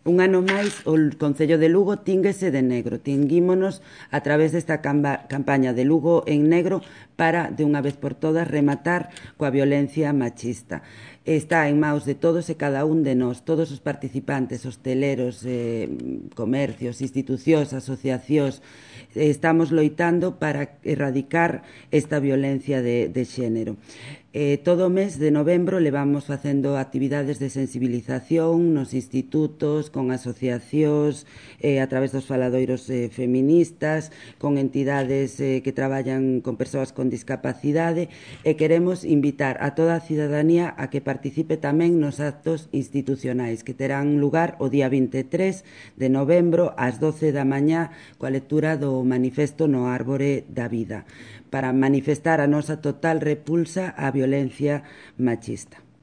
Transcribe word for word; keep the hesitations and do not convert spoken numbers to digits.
Un ano máis, o Concello de Lugo tínguese de negro. Tinguímonos a través desta campaña de Lugo en negro para, de unha vez por todas, rematar coa violencia machista. Está en maus de todos e cada un de nós, todos os participantes, hosteleros, eh, comercios, institucións, asociacións, eh, estamos loitando para erradicar esta violencia de, de xénero. Eh, todo o mes de novembro levamos facendo actividades de sensibilización nos institutos, con asociacións, eh, a través dos faladoiros eh, feministas, con entidades eh, que traballan con persoas con discapacidade, e queremos invitar a toda a cidadanía a que participe tamén nos actos institucionais que terán lugar o día vinte e tres de novembro ás doce da mañá coa lectura do manifesto no Árbore da Vida, para manifestar a nosa total repulsa á violencia machista.